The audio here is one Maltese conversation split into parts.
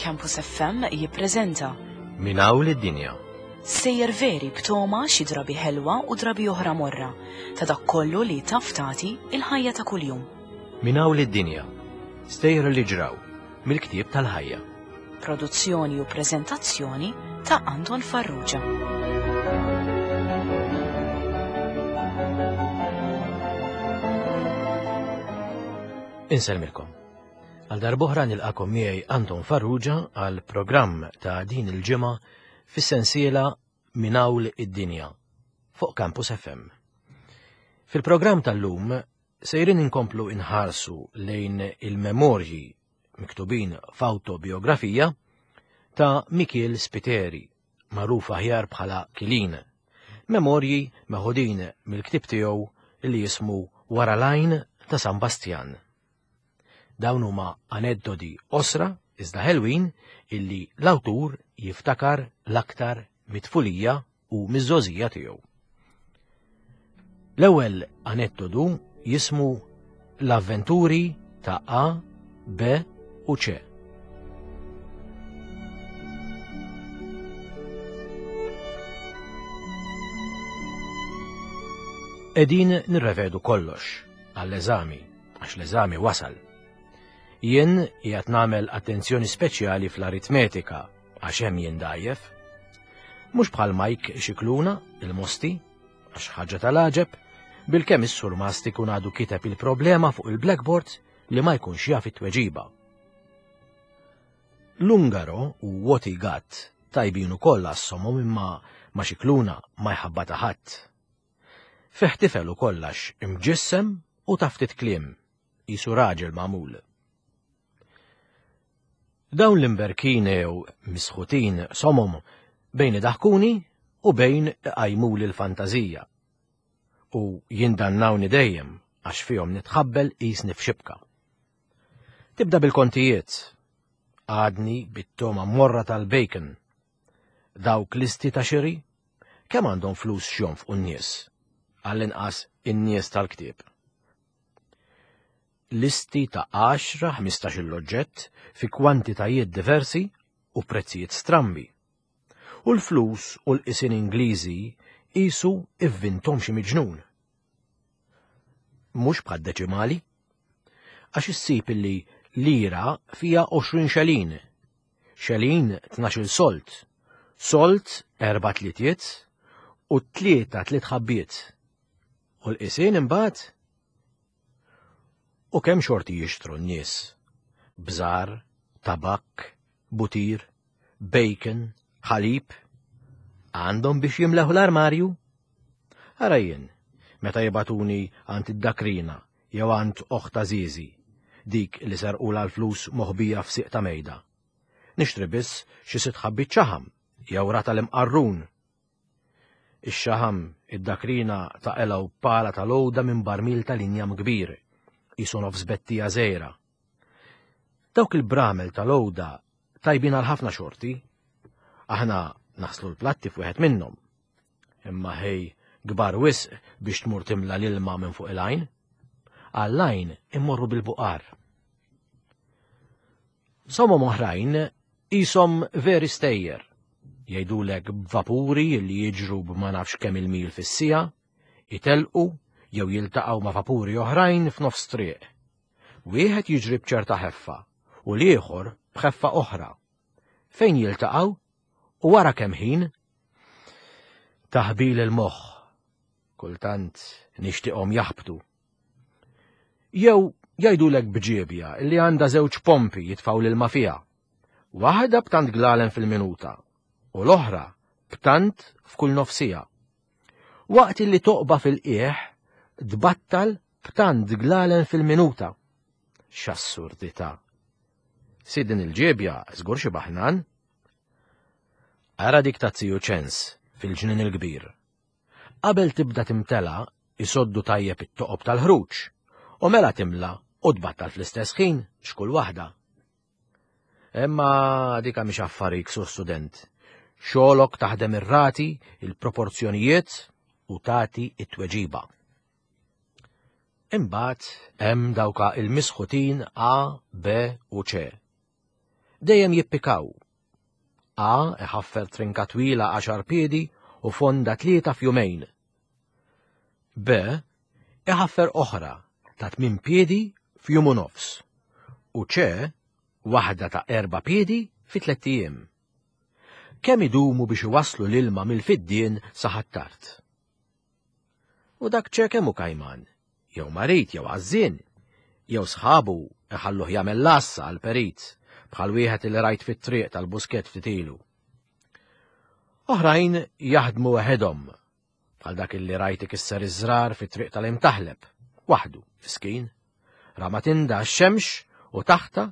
Campus FM jippreżenta Minn hawn lid-dinja. Sejjer veri b'toma xi drabi ħelwa u drabi oħra morra ta' dak kollu li taf tagħti il-ħajja ta' kuljum. Minn hawn lid-dinja. Stejjer li ġraw mill-ktieb tal-ħajja. Produzzjoni u preżentazzjoni ta' Anton Farrugia. Insellmilkom. Għal darb'oħra nilqakom miegħi Anton Farrugia għal programm ta' din il-ġimgħa fis-sensiela Minn Hawn id-Dinja fuq Campus FM. Fil-programm tal-lum sejrin inkomplu inħarsu lejn il-memorji miktubin f'awtobiografija ta' Mikiel Spiteri, magħruf aħjar bħala Kilin. Memorji meħudin mill-ktieb tiegħu li jismu Wara l-Għajn ta' San Bastjan. Dawn huma aneddodi qosra iżda ħelwin illi l-awtur jiftakar l-aktar mit-tfulija u miż-żgħożija tiegħu. L-ewwel aneddodu jismu L-avventuri ta' A, B u C. Qegħdin nirrevedu kollox għall-eżami għax l-eżami wasal. Jien qiegħed nagħmel attenzjoni speċjali fl-aritmetika għax hemm jien dgħajjef. Mhux bħal Mike Xikluna, il-mosti, għax ħaġa tal-għaġeb, bilkemm is-surmast ikun għadu kiteb il-problema fuq il-blackboard li ma jkunx jaf it-tweġiba. L-Ungaro u Woti Gatt tajbin ukoll għas-somom imma ma Xikluna ma jħabbata ħadd. Fih tifel ukoll għax imġissem u ta' ftit kliem, qisu raġel magħmul. Dawn l-imberkin jew misħutin somom bejn idaħkuni u bejn iqajmuli l-fantażija. U jindannawni dejjem għax fihom nitħabbel qisni f'xibka. Tibda bil-kontijiet. Għadni bit-toma morra tal-bacon. Dawk listi ta' xiri Kemm għandhom flus x'jonfqu n-nies? Għall-inqas in-nies tal-ktieb. Listi ta' 10, 15 oġġett fi kwantitajiet diversi u prezzijiet strambi. U l-flus u l-qisien Ingliżi qisu ivvinthom xi miġnun. Mhux bħad-deċimali. Għax issib illi lira fiha 20 xelin Xelin 12-il solt, solt erba' tlietiet u tlieta tliet ħabbiet. U l-qisien imbagħad? U kemm xorti jixtru n-nies? Bżar, tabakk, butir, bacon, ħalib. Għandhom biex jimlew l-armarju? Ara jien, meta jibagħtuni għand id-dakrina jew għand oħt għażiżi, dik li serqulha l-flus moħbija f'sieq ta' mejda. Nixtri biss xi sitt ħabbiet xaħam jew ratal imqarrun. Ix-xaħam id-dakrina taqelgħu b'pala ta' lowda minn barmil tal-injam kbir, qisu nofs bettija żgħira. Dawk il-bramel ta' lowda tajbin għal ħafna xorti. Aħna naħslu l-platti f'wieħed minnhom. Imma ħej kbar wisq biex tmur timla l-ilma minn fuq il-għajn. Għall-għajn immorru bil-buqar. Somom oħrajn qishom veri stejjer. Jgħidulek b'vapuri li jiġru b'ma nafx kemm il-mil fis-siegħa, itelqu jew jiltaqgħu ma' vapuri oħrajn f'nofs triq. Wieħed jiġri b'ċerta ħeffa u l-ieħor b'ħeffa oħra. Fejn jiltaqgħu u wara kemm ħin? Taħbil il-moħħ. Kultant nixtieqhom jaħbtu. Jew jgħidulek bġiebja li għandha żewġ pompi jitfgħu l-ilma fiha. Waħda b'tant glalen fil-minuta u l-oħra b'tant f'kull nofsija. Waqt li toqba fil-qiegħ tbattal b'tant glalen fil-minuta. X'assurdità! Si din il-ġiebja żgur xi baħnan. Ara dik ta' Ziju Ċens fil-ġnien il-kbir. Qabel tibda timtela isoddu tajjeb it-toqob tal-ħruġ u mela timla u tbattal fl-istess ħin x'kull waħda. Imma dika mhix affarik sur student. Xogħolok taħdem ir-rati, il-proporzjonijiet u tagħti it-tweġiba. Imbagħad hemm dawka il-misħutin A, B u C. Dejjem jippikaw. A iħaffer trinka twila għaxar piedi u fonda tlieta f'jumejn. B iħaffer oħra ta' tmien piedi f'jum u nofs. U C waħda ta' erba' piedi fi tlett ijiem. Kemm idumu biex iwasslu l-ilma mill-fiddien sa Ħ'Attard? U dak ċe kemm hu kajman, jew marid jew għażżien, jew sħabu iħalluh jagħmel l-għassa għall-perit bħal wieħed li rajt fit-triq tal-Buskett ftit ilu. Oħrajn jaħdmu weħedhom, bħal dak li rajt ikisser iż-żrar fit-triq tal-Imtaħleb, waħdu, miskin. Rama tinda x-xemx u taħta,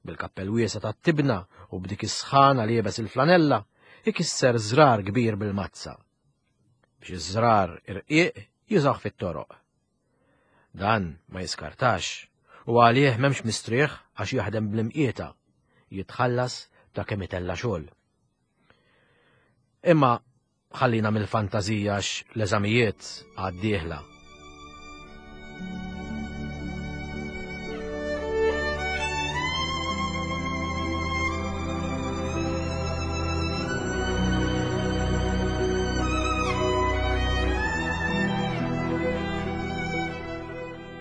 bil-kappell wiesa tat-tibna u b'dik is-sħana liebes il-flanella, ikisser żrar kbir bil-mazza. Biex iż-żrar irqiq jużawh fit-toroq. Dan ma jiskartax u għalih m'hemmx mistrieħ għax jaħdem bl-imqieta, jitħallas ta' kemm itella' xogħol. Imma ħallina mill-fantażija għax l-eżamijiet għad dieħla.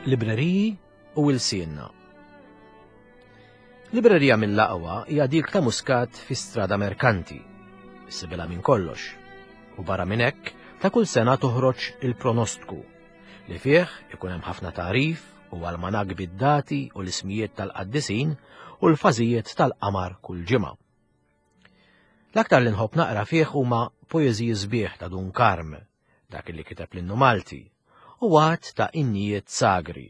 Libreriji u ilsienna. Librerija mill-aqwa hija dik ta' Muscat fi Strada Merkanti. Issibila minn kollox. U barra minn hekk, ta' kull sena toħroġ il-pronostku li fih ikun hemm ħafna tagħrif u almanak bid-dati u l-ismijiet tal-qaddisin u l-fażijiet tal-qamar kull ġimgħa. L-aktar li nħobb naqra fih huma poeżiji sbieħ ta' Dun Karm, dak li kiteb l-innu Malti, u għadd ta' innijiet sagri,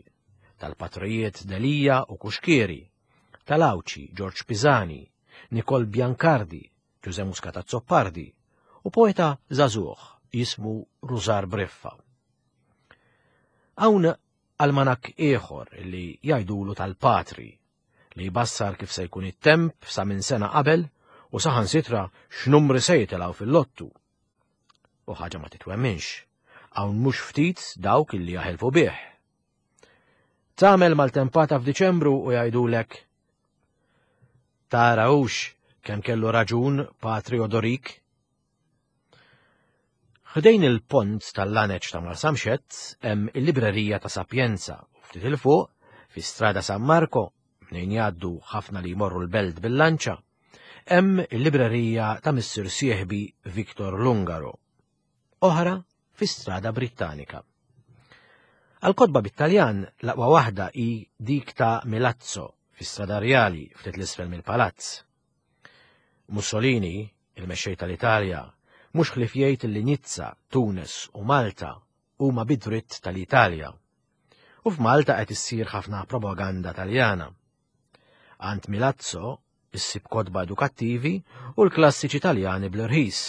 tal-patrijiet Delia u Kuxkieri, tal-Għawdxi Ġorġ Pisani, Nikol Biancardi, Ġuże Muscat Azzopardi, u poeta żagħżugħ jismu Rużar Briffa. Hawn almanak ieħor li jgħidulu tal-patri, li jbassar kif se jkun it-temp sa minn sena qabel u saħansitra x'numri se jitilgħu fil-lottu. U ħaġa ma titwemminx, hawn mhux ftit dawk illi jaħilfu bih. Tagħmel maltempata f'Diċembru u jgħidulek Tara hux kemm kellu raġun Patri Odorik? Ħdejn il-pont tal-laneċ ta' Marsamxett hemm il-librerija ta' Sapienza u ftit il fuq fi Strada San Marco mnejn jgħaddu ħafna li jmorru l-belt bil-lanċa, hemm il-librerija ta' Missir Sieħbi Victor Lungaro. Oħra fi Strada Brittanika. Għal-kotba bit-Taljan l-aqwa waħda hi dik ta' Milazzo fi Strada Rjali ftit l-isfel mill-palazz. Mussolini, il-mexxej tal-Italja, mhux ħlief jgħid li Nizza, Tunis u Malta huma bi dritt tal-Italja. U f'Malta qed issir ħafna propaganda Taljana. Għand Milazzo issib kotba edukattivi u l-klassiċi Taljani bl-irħis.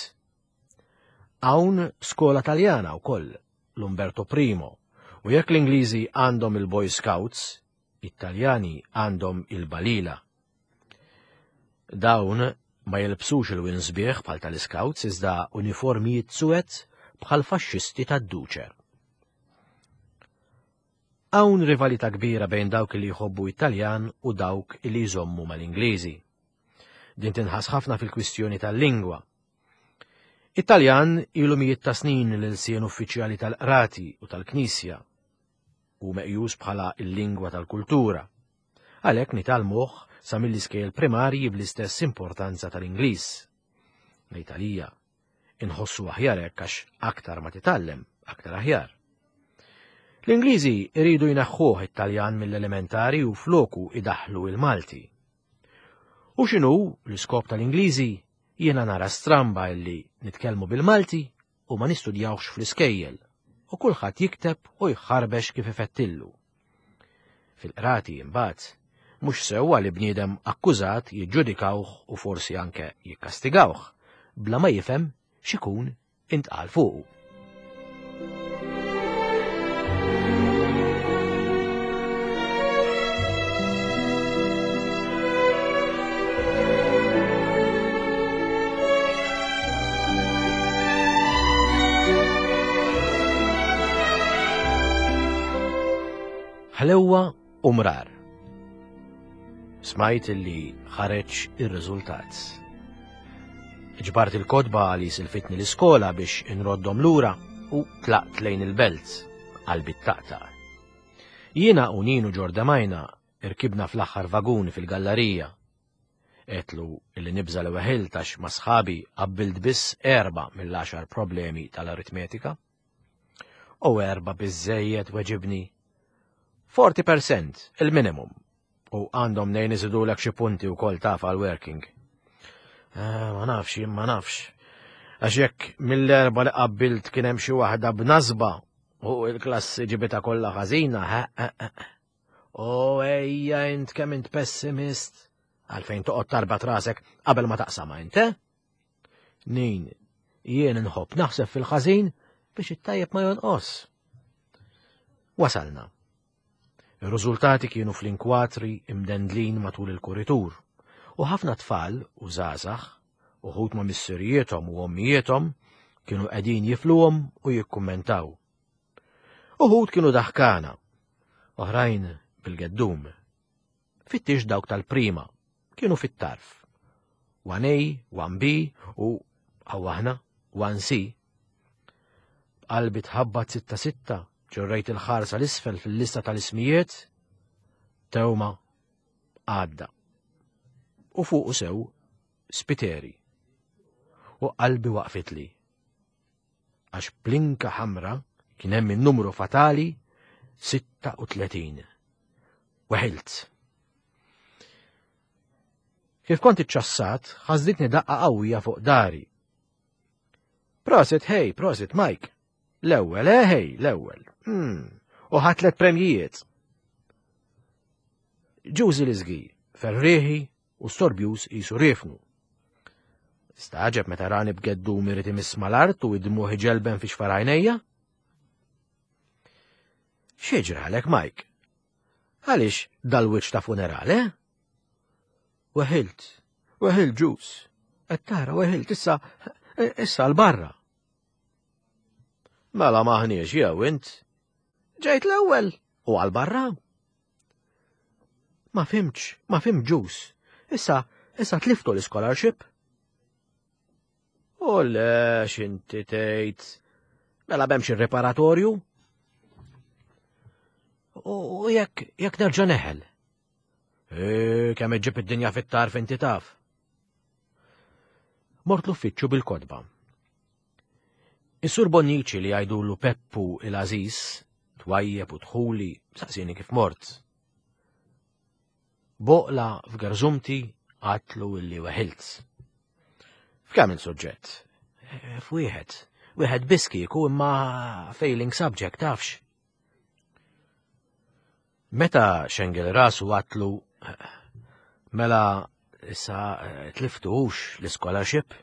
Hawn skola Taljana wkoll, l-Umberto Primo, u jekk l-Ingliżi għandhom il-Boy Scouts, it-Taljani għandhom il-Balila. Dawn ma jilbsux ilwien sbieħ bħal tal-Iscouts iżda uniformijiet suwed bħal faxxisti tad-Duce. Hawn rivalità kbira bejn dawk li jħobbu it-Taljan u dawk li jżommu mal-Ingliżi. Din tinħass ħafna fil-kwistjoni tal-lingwa. It-Taljan ilu mijiet ta' snin l-ilsien uffiċjali tal-qrati u tal-Knisja hu meqjus bħala l-lingwa tal-kultura. Għalhekk nitgħallmuh sa mill-iskejjel primarji bl-istess importanza tal-Ingliż. Ngħid għalija, inħossu aħjar hekk għax aktar ma titgħallem, aktar aħjar. L-Ingliżi jridu jneħħuh it-Taljan mill-elementari u floku idaħlu il-Malti. U x'inhu l-iskop tal-Ingliżi jiena nara stramba illi nitkellmu bil-Malti u ma nistudjawhx fl-iskejjel u kulħadd jikteb u jħarbex kif ifettillu. Fil-qrati imbagħad mhux sewwa li bniedem akkużat jiġġudikawh u forsi anke jikkastigawh bla ma jifhem x'ikun intqal fuqu. Ħlewwa u mrar. Smajt li ħareġ ir-riżultat. Ġbart il-kotba li silfitni l-iskola biex inroddhom lura u tlaqt lejn il-belt qalbi taqtaq. Jiena u Ninu Ġordamajna irkibna fl-aħħar vagun fil-gallarija. Għedtlu illi nibża' li weħilt għax ma' sħabi qabbilt biss erbgħa mill-għaxar problemi tal-aritmetika. U erbgħa biżżejjed weġibni. 40% il-minimum. U għandhom nejn iżidulek xi punti wkoll taf għal working. Eh, ma nafx, jien ma nafx. Għax jekk mill-erba li qabbilt kien hemm xi waħda b'nasba u l-klassi ġibita kollha ħażina, O ejja int kemm int pessimist, għalfejn toqgħod tarbat rasek qabel ma taqsama int, eh? Nin, jien inħobb naħseb fil-ħażin biex it-tajjeb ma jonqos. Wasalna. Ir-riżultati kienu fl-inkwatri imdendlin matul il-kuritur u ħafna tfal u żgħażagħ, uħud ma' missirijiethom u ommijiethom, kienu qegħdin jifluhom u jikkummentaw. Uħud kienu daħkana, oħrajn bil-geddum. Fittix dawk tal-prima, kienu fit-tarf. 1A, 1B u aħna 1C. B'qalbi tħabbat sitta sitta, ġorrejt il-ħarsa l-isfel fil-lista tal-ismijiet, tewma għadda. U fuqu sew spiteri. U qalbi waqfitli. Għax blinka ħamra kien hemm in-numru fatali 36. Weħilt. Kif kont iċċassat, ħażditni daqqa qawwija fuq dari. Prosit, hey, prosit, Mike. L-ewwel, eh, hey, l-ewwel. Hmm, u ħatlet premjijiet. Ġużi l-iżgi, ferrieħi u storbjuż qisu riefnu. Staġeb meta rani b'geddum irid imiss mal-art u id-dmuħ iġelben fi xfar għajnejja. X'jiġralek, Mike? Għaliex dal-wiċċ ta' funeral, eh? Weħilt, weħilt ġus. Qed tara weħilt issa issa l-barra. Mela maħniex jew int. Ġejt l-ewwel u għal barra. Ma fimtx, ma fimt ġus. Issa, issa tliftu l-scholarship. U le, xinti tgħid. Mela b'hemmx ir-riparatorju. U jekk jekk nerġa' neħel. E, kemm iġġib id-dinja fit-tarf inti taf. Mort l-uffiċċju bil-kodba. Is-Sur Bonnici li jgħidulu Peppu il-Għażiż, twajjeb u dħuli, saqsieni kif mort. Boqla f'gerżumti għatlu illi weħilt. F'kemm il-suġġett? Eh, f'wieħed. Wieħed biss kieku imma failing subject tafx. Meta xengel rasu għatlu, mela issa eh, tliftux l-scholarship?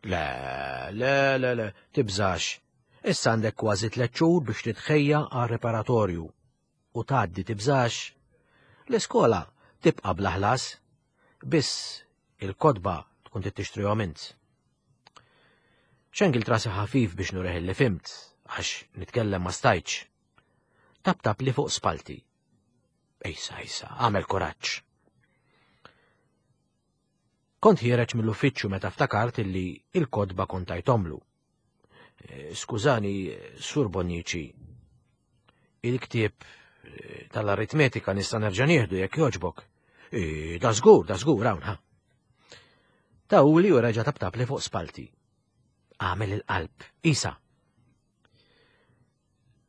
Le, le, le, le, tibżax. Issa għandek kważi tliet xhur biex titħejja għal reparatorju u tgħaddi tibżax. L-iskola tibqa' bla ħlas, biss il-kotba tkun trid tixtrihom int. Xengil trasi ħafif biex nureħ li fimt, għax nitkellem ma stajtx. Tap-tap li fuq spalti. Ejsa, ejsa, għamel kuraġġ. Kont ħiereġ mill-uffiċċju meta ftakart illi il-kodba kont tajtomlu. Eh, skużani, Sur Bonnici, il-ktieb eh, tal-aritmetika nista' nerġa' nieħdu jekk jogħġbok. Eh, da żgur, da żgur hawn ha. Tawli u reġa' taptap li fuq spalti. Għamel il-qalb, isa.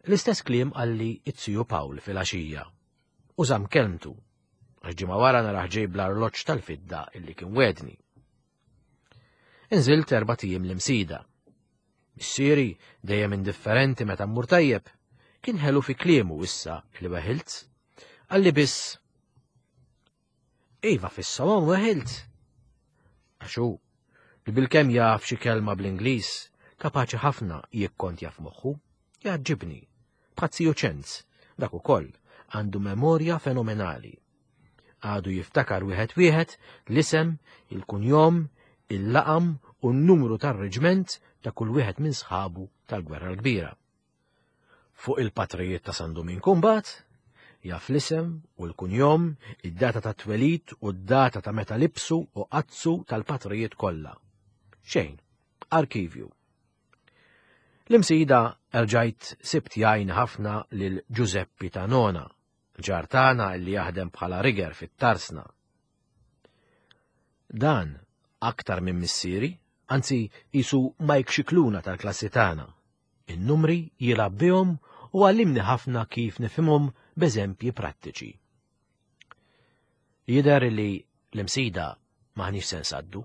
L-istess kliem qalli it-ziju Pawl fil-għaxija u żamm kelmtu għax ġimgħa wara naraħ ġej bl-arloġġ tal-fidda illi kien wedni. Inżilt erba' tijiem l-imsida. Missieri, dejjem indifferenti meta mmur tajjeb, kien ħelu fi kliemu issa li weħilt. Qalli biss Iva fis-salon weħilt. Għax hu, li bilkemm jaf xi kelma bl-Ingliż, kapaċi ħafna jikkontja f'moħħu, jgħaġġibni. Bħat-ziju Ċenz, dak ukoll għandu memorja fenomenali. Għadu jiftakar wieħed wieħed l-isem, il-kunjom, il-laqam u n-numru tar-reġment ta' kull wieħed minn sħabu tal-Gwerra l-Kbira. Fuq il-patrijiet ta' San Duminku mbagħad, Jaf l-isem u l-kunjom, id-data ta' twelid u d-data ta' meta libsu u qazzu tal-patrijiet kollha. Xejn, arkivju. L-imsida erġajt sibt jgħin ħafna lil Ġużeppi ta' Nona, ġar tagħna li jaħdem bħala riger fit-tarsna. Dan aktar minn missieri, anzi qisu Mike Scicluna tal-klassi tagħna. In-numri jilgħab bihom u għallimni ħafna kif nifhimhom b'eżempji prattiċi. Jidher li l-imsida m'aħniex se nsaddu.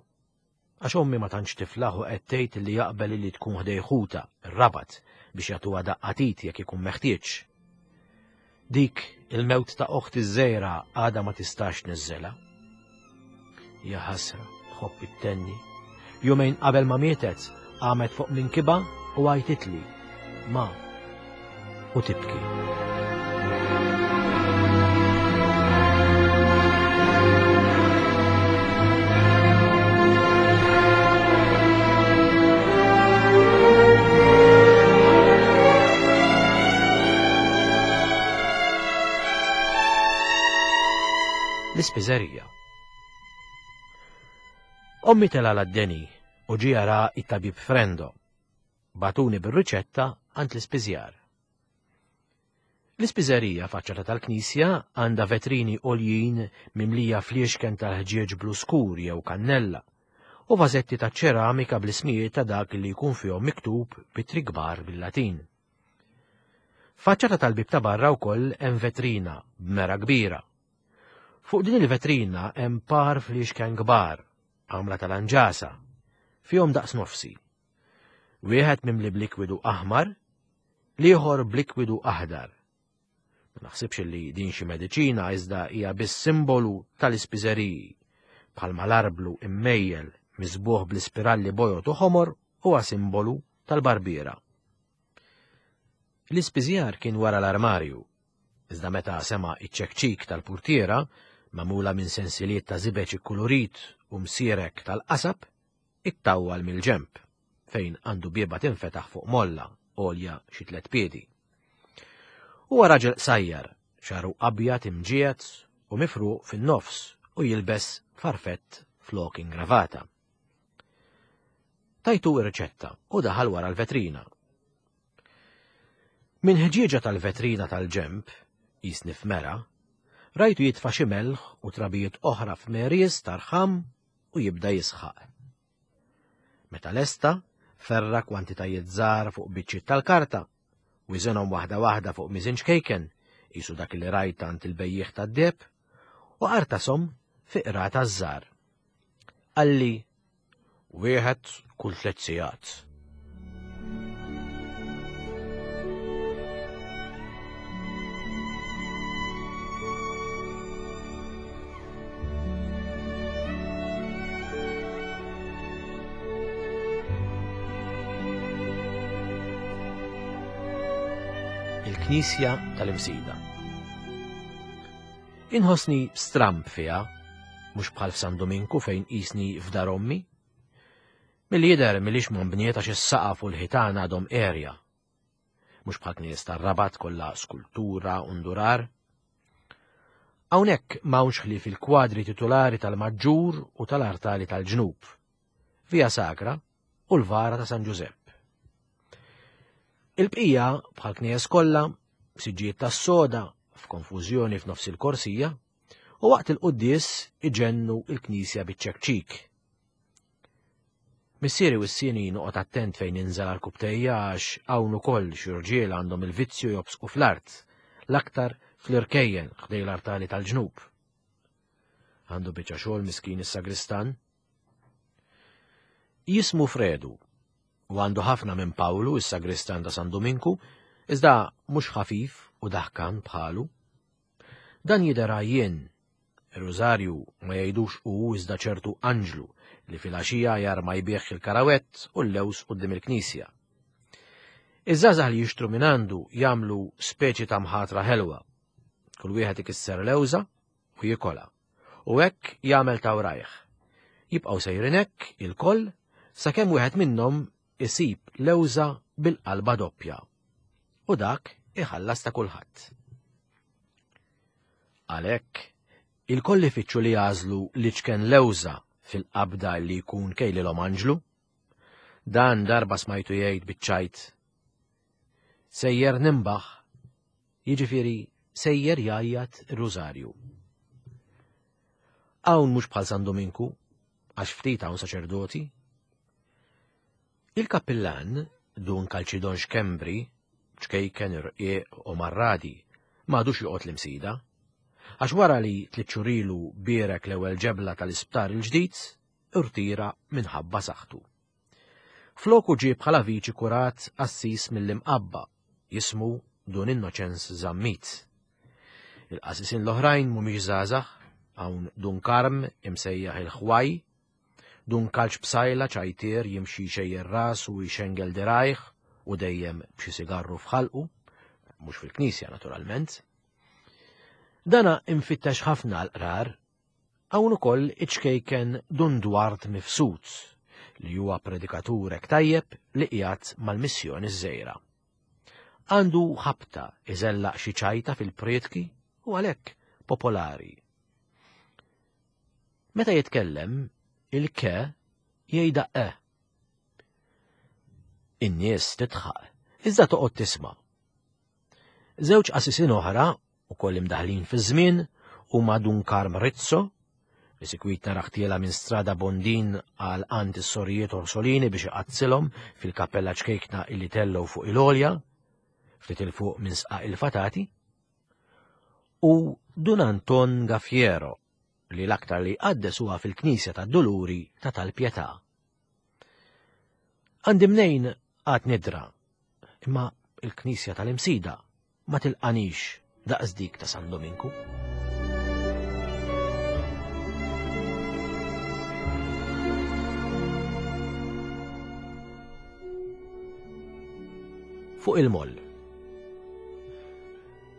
Għax ommi ma tantx tiflaħ u qed tgħid li jaqbel li tkun ħdej ħuta, ir-Rabat, biex jagħtuha daqqa t'id jekk ikun meħtieġ. Dik il-mewt ta' oħti ż-żgħira għadha ma tistax tniżżelha. Ja ħasra, tħobb ittenni. Jumejn qabel ma mietet, qamet fuq minkibha u għajtitli, ma, u tibki. L-ispiżerija. Ommi tela l-deni u ġie jara it-tabib Frendo. Bagħtuni bir-riċetta għand l-ispiżjar. L-ispiżerija faċċata tal-knisja għandha vetrini għoljin mimlija fliexken tal-ħġieġ blu skur jew kannella u vażetti ta' ċeramika bl-ismijiet ta' dak li jkun fihom miktub b'ittri kbar bil-Latin. Faċċata tal-bieb ta' barra wkoll hemm vetrina b'mera kbira. Fuq din il-vetrina hemm par fliexken kbar, għamla tal-anġasa, fihom daqs nofsi. Wieħed mimli b'likwidu aħmar, l-ieħor b'likwidu aħdar. Ma naħsibx li din xi mediċina iżda hija biss simbolu tal-ispiżeriji, bħalma l-arblu immejjel miżbuħ bl-ispiralli bojod u ħomor huwa simbolu tal-barbiera. L-ispiżjar kien wara l-armarju, iżda meta sema' iċ-ċekċik tal-purtiera, magħmula minn sensiliet ta' żibeġ ikkulurit u msierek tal-qasab, ittawwal mill-ġenb, fejn għandu bieba tinfetaħ fuq molla għolja xi tlett piedi. Huwa raġel qsajjar, xagħru abjad imġiegħed u mifruq fin-nofs u jilbes farfett flok ingravata. Tajtu ir-riċetta u daħal wara l-vetrina. Minn ħġieġa tal-vetrina tal-ġenb, jisni f'mera, rajtu jitfa' xi melħ u trabijiet oħra f'merjes tarħam u jibda jisħaq. Meta lesta, ferra kwantitajiet żgħar fuq biċċiet tal-karta, wiżenhom waħda waħda fuq miżin ċkejken, qisu dak li rajt għand il-bejjiegħ tad-deheb, u qartashom fi qrata żgħar. Qalli, wieħed kull tlett sigħat. Il-Knisja tal-Imsida. Inħossni stramb fiha, mhux bħal f'San Dominku fejn qisni f'dar ommi. Milli jidher milix ma nbniet għax is-saqaf u l-ħitan għadhom għerja. Mhux bħal knies tar-Rabat kollha skultura u ndurar. Hawnhekk m'hawnx ħlief il-kwadri titulari tal-Maġġur u tal-artali tal-ġnub, Via Sacra u l-vara ta' San Ġużepp. Il-bqija bħal knies kollha, siġġijiet tas-soda f'konfużjoni f'nofs il-korsija, u waqt il-quddies iġennu il-knisja biċ-ċekċik. Missieri wissieni noqgħod attent fejn ninżel għarkupptejja għax hawn ukoll xi rġiel għandhom il-vizzju jobsqu fl-art, l-aktar fl-irkejjen ħdej l-artali tal-ġnub. Għandu biċċa xogħol miskin is-sagristan. Jismu Fredu u għandu ħafna minn Pawlu is-sagristan ta' San Duminku, iżda mhux ħafif u daħkan bħalu. Dan jidher għajjien Ir-Rużarju ma jgħidux hu iżda ċertu anġlu li filgħaxija jarma jbigħ il-karawett u l-lewż quddiem il-knisja. Iż-żgħażagħ li jixtru minn għandu jagħmlu speċi ta' mħatra ħelwa. Kull wieħed ikisser lewża u jikolha. U hekk jagħmel ta' wrajh. Jibqgħu sejrin hekk ilkoll sakemm wieħed minnhom isib lewża bil-qalba doppja. U dak iħallas ta' kulħadd. Għalhekk, ilkoll ifittxu li jagħżlu l-iċken lewża fil-qabda li jkun kejlilhom anġlu. Dan darba smajtu jgħid biċ-ċajt. Sejjer nimbaħ, jiġifieri sejjer jgħajjat ir-rużarju. Hawn mhux bħal San Dominku, għax ftit hawn saċerdoti. Il-kappillan, Dun Kalċidon Xkembri, ċkejken irqiq u marradi, m'għadux joqgħod l-Imsida. Għax wara li tliet xhur ilu bierek l-ewwel ġebla tal-isptar il-ġdid, irtira minħabba saħħtu. Floku ġie bħala viċi kurat qassis mill-Imqabba, jismu Dun Innoċenz Zammit. Il-qassisin l-oħrajn mhumiex żgħażagħ, hawn Dun Karm imsejjaħ il-Ħwaj, Dun Kalċ Psaila ċajtier jimxi jxejjer rasu u jxengel dirgħajh u dejjem b'xi sigarru f'ħalqu, mhux fil-knisja naturalment. Dana imfittex ħafna għall-qrar, hawn ukoll iċ-ċkejken Dun Dward Mifsud li huwa predikatur hekk tajjeb li qiegħed mal-missjoni ż-żgħira. Għandu ħabta iżellaq xi ċajta fil-prietki u għalhekk popolari. Meta jitkellem, il-ke jgħidha e. In-nies titħaq, iżda toqgħod tisma'. Żewġ qasisin oħra, ukoll imdaħlin fiż-żmien, huma Dun Karm Rizzo, li sikwit naraħ tiela minn Strada Bondin għal għand is-sorijiet Orsolini biex iqaddsilhom fil-kappella ċkejkna illi tellgħu fuq il-għolja, ftit 'il fuq minn Sqaq il-Fatati, u Dun Anton Gaffiero, li l-aktar li jqaddes huwa fil-Knisja tad-Duluri ta' Tal-Pietà. Għandi mnejn għad nidra, imma il-Knisja tal-Imsida ma tilqanix daqs dik ta' San Dominku. Fuq il-moll.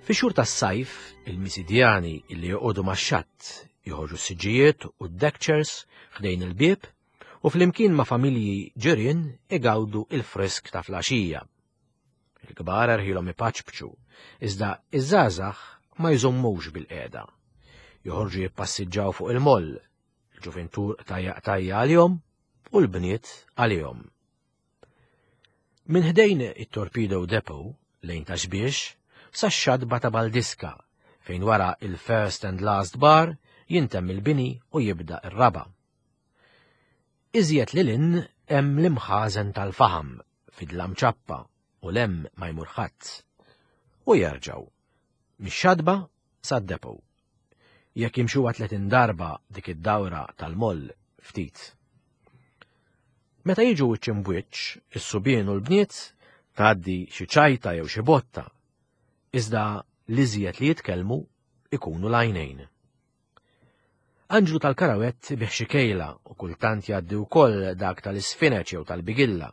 Fix-xhur tas-sajf, il-Misidjani li joqogħdu max-xatt joħorġu s-siġġijiet u d-deckchairs ħdejn il-bieb u flimkien ma' familji ġirien igawdu il-frisk ta' flaxija. Il-kbar erħilhom ipaċpċu, iżda iż-żgħażagħ ma jżommux bil-qiegħda. Joħorġu jippassiġġaw fuq il-moll, il-ġuvintur qtajja qtajja għalihom u l-bniet għalihom. Minn ħdejn it-Torpedo Depot lejn Ta' Xbiex sax-xatba ta' Baldiska fejn wara il-First and Last Bar jintemm il-bini u jibda r-raba'. Iżjed lil hinn hemm l-imħażen tal-faħam fi dlam ċappa u 'l hemm ma jmur ħadd. U jerġgħu mix-xatba sad-depot. Jekk jimxuha 30 darba dik id-dawra tal-moll ftit. Meta jiġu wiċċ imbwiċċ, is-subien u l-bniet, tgħaddi xi ċajta jew xi botta. Iżda l-iżjed li jitkellmu ikunu l-għajnejn. Anġlu tal-karawett ibigħ xi kejla u kultant jgħaddi wkoll dak tal-isfineċ jew tal-bigilla.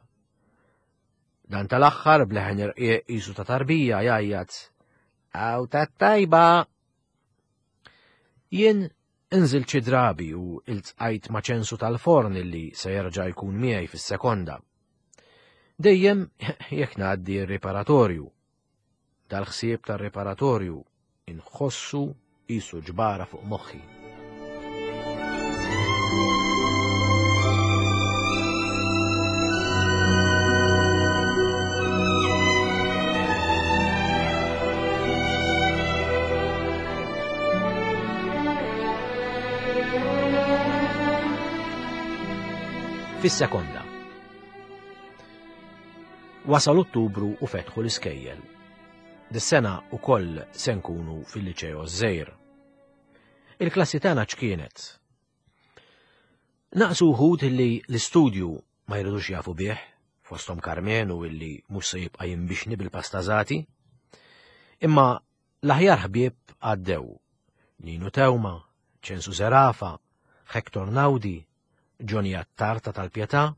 Dan tal-aħħar b'leħen irqiq qisu ta' tarbija jgħajjat Aw tat-tajba! Jien inżilt xi drabi u iltqajt ma' ċensu tal-forn illi se jerġa' jkun miegħi fis-sekonda. Dejjem jekk ngħaddi r-riparatorju. Dal-ħsieb tar-riparatorju inħossu qisu ġbara fuq moħħi. Fis-sekonda. Wasal Ottubru u fetħu l-iskejjel. Dis-sena ukoll se nkunu fil-Liċeo żgħir. Il-klassi tagħna x'kienet? Naqsu wħud li l-istudju ma jridux jafu bih, fosthom Karmenu illi mhux se jibqa' jinbixni bil-pastażati. Imma l-aħjar ħbieb għaddew. Ninu Tewma, Ċensu Zerafa, Hector Naudi, Johnny Attard ta' Tal-Pietà,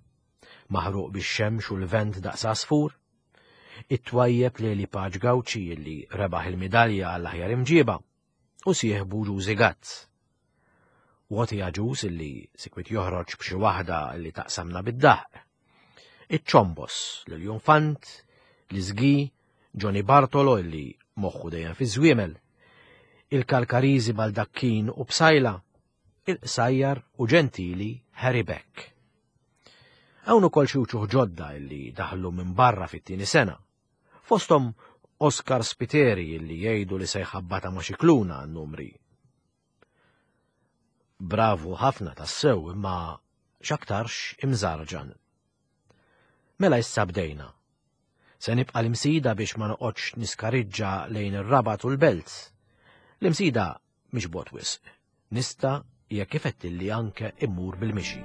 maħruq bix-xemx u l-vent daqs għasfur, it-twajjeb Leli Paċ Gauci illi rebaħ il-midalja għall-aħjar imġiba, u sieħbu Ġużi Gazz. Woti Agius illi sikwit joħroġ b'xi waħda illi taqsamna bid-daħq. Iċ-Ċombos, l-Iljunfant, l-Iżgi, Johnny Bartolo illi moħħu dejjem fiż-żwiemel. il-Kalkariżi Baldacchino u Psaila, il-qsajjar u ġentili Harry Beck. Hawn ukoll xi wċuħ ġodda illi daħlu minn barra fit-tieni sena. Fosthom Oscar Spiteri illi jgħidu li se jħabbata ma' Scicluna għan-numri. Bravu ħafna tassew imma x'aktarx imżarġan. Mela issa bdejna. Se nibqa' l-Imsida biex ma noqgħodx niskariġġa lejn ir-Rabat u l-Belt. L-Imsida mhix bogħod wisq. Nista' jekk ifettilli anke immur bil-mixi.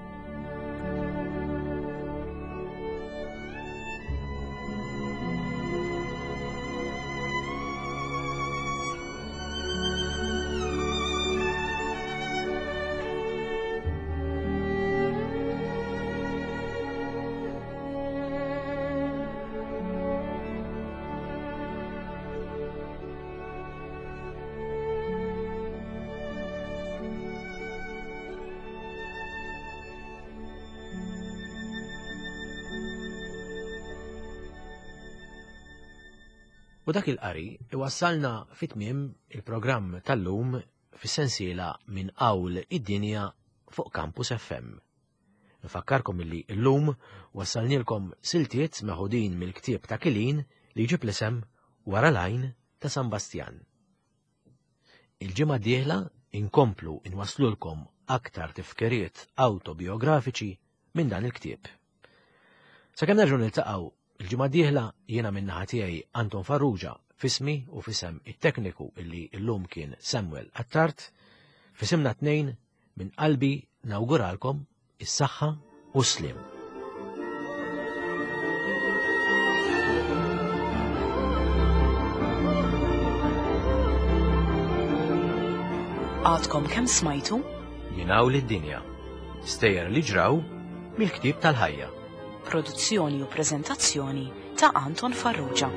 U dak il-qari iwassalna fit-tmiem il-programm tal-lum fis-sensiela minn qawl id-dinja fuq Campus FM. Nfakkarkom illi llum wassalnielkom siltiet meħudin mill-ktieb ta' Kilin li jġib l-isem Wara l-Għajn ta' San Bastjan. Il-ġimgħa d-dieħla inkomplu inwasslulkom aktar tifkiriet awtobiografiċi minn dan il-ktieb. Sakemm nerġgħu niltaqgħu il-ġimgħa d-dieħla jiena min-naħa tiegħi Anton Farrugia f'ismi u f'isem it-tekniku illi llum kien Samuel Attard, f'isimna tnejn minn qalbi nawguralkom is-saħħa u s-sliem. Għadkom kemm smajtu? Minn hawn lid-dinja. Stejjer li ġraw mill-ktieb tal-ħajja. Produzzjoni u preżentazzjoni ta' Anton Farrugia.